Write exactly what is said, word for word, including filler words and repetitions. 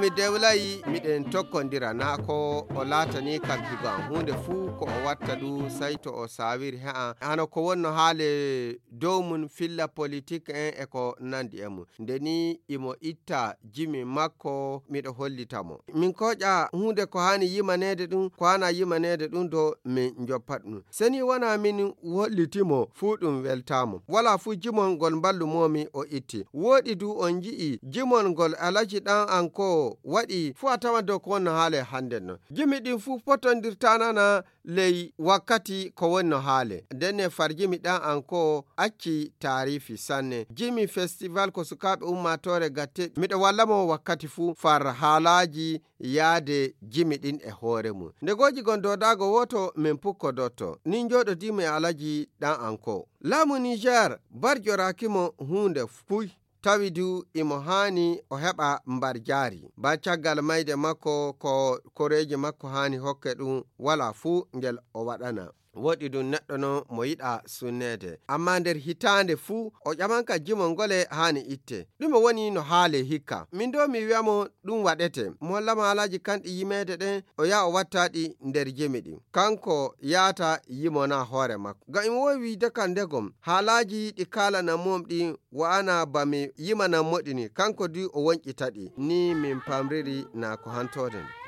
Mi dewlayi miɗen tokkondira, na ko o laatani kam higo am. Huunde fuu ko o watta ɗum, sey to o saawiri he am. Hano ko wonno haale dow mum, filla politik en e ko nandi e mum. Nde ni imo itta jimi makko, miɗo hollita mo. Min koƴa huunde ko haani yimaneede ɗum, ko haana yimaneede ɗum do min njoppa ɗum. Seni wona min holliti mo fuu ɗum weltaamo. Wala fuu jimol ngol mballumomi o itti. Wooɗi du on nji'i jimol ngol Alaji ɗan an ko waɗi fuu a tawan dow ko wonno haale hande non. Jimi ɗin fuu potondirtanana ley wakkati ko wonno haale. Ndenne farjimi ɗan an ko acci taarifi sanne. Jimi festival ko sukaaɓe ummaatoore gatte. Miɗo walla mo wakkati fuu far haalaaji yaade jimi ɗin e hoore mum. Nde gooji gon doodaago wooto min pukkodotto. Nin njooɗodii mo e Alaji ɗan an ko. Laamu Niger barjoraaki mo huunde puy. Tawi du imo haani o heɓa mbar jaari. Ba caggal mayde makko ko koreeji makko haani hokke ɗum wala fuu ngel o waɗana. Woɗi ɗum neɗɗo no mo yiɗa sunneede. Amma nder hitaande fuu o ƴamanka jimo ngole haani itte. Ɗume woni no haale hikka? Min do mi wi'a mo ɗum waɗete. Mo hollama haalaaji kanɗi yimeede ɗen o yaha o watta ɗi nder jimi ɗin. Kanko yaata yimona hoore makko. Ngam imo wowi wiide kam ndegom haalaaji ɗi kaalana mum ɗin wa'ana ba mi yimana moɗini. Kanko du o wonƴita ɗi. Ni min pamriri na ko hantoode nde.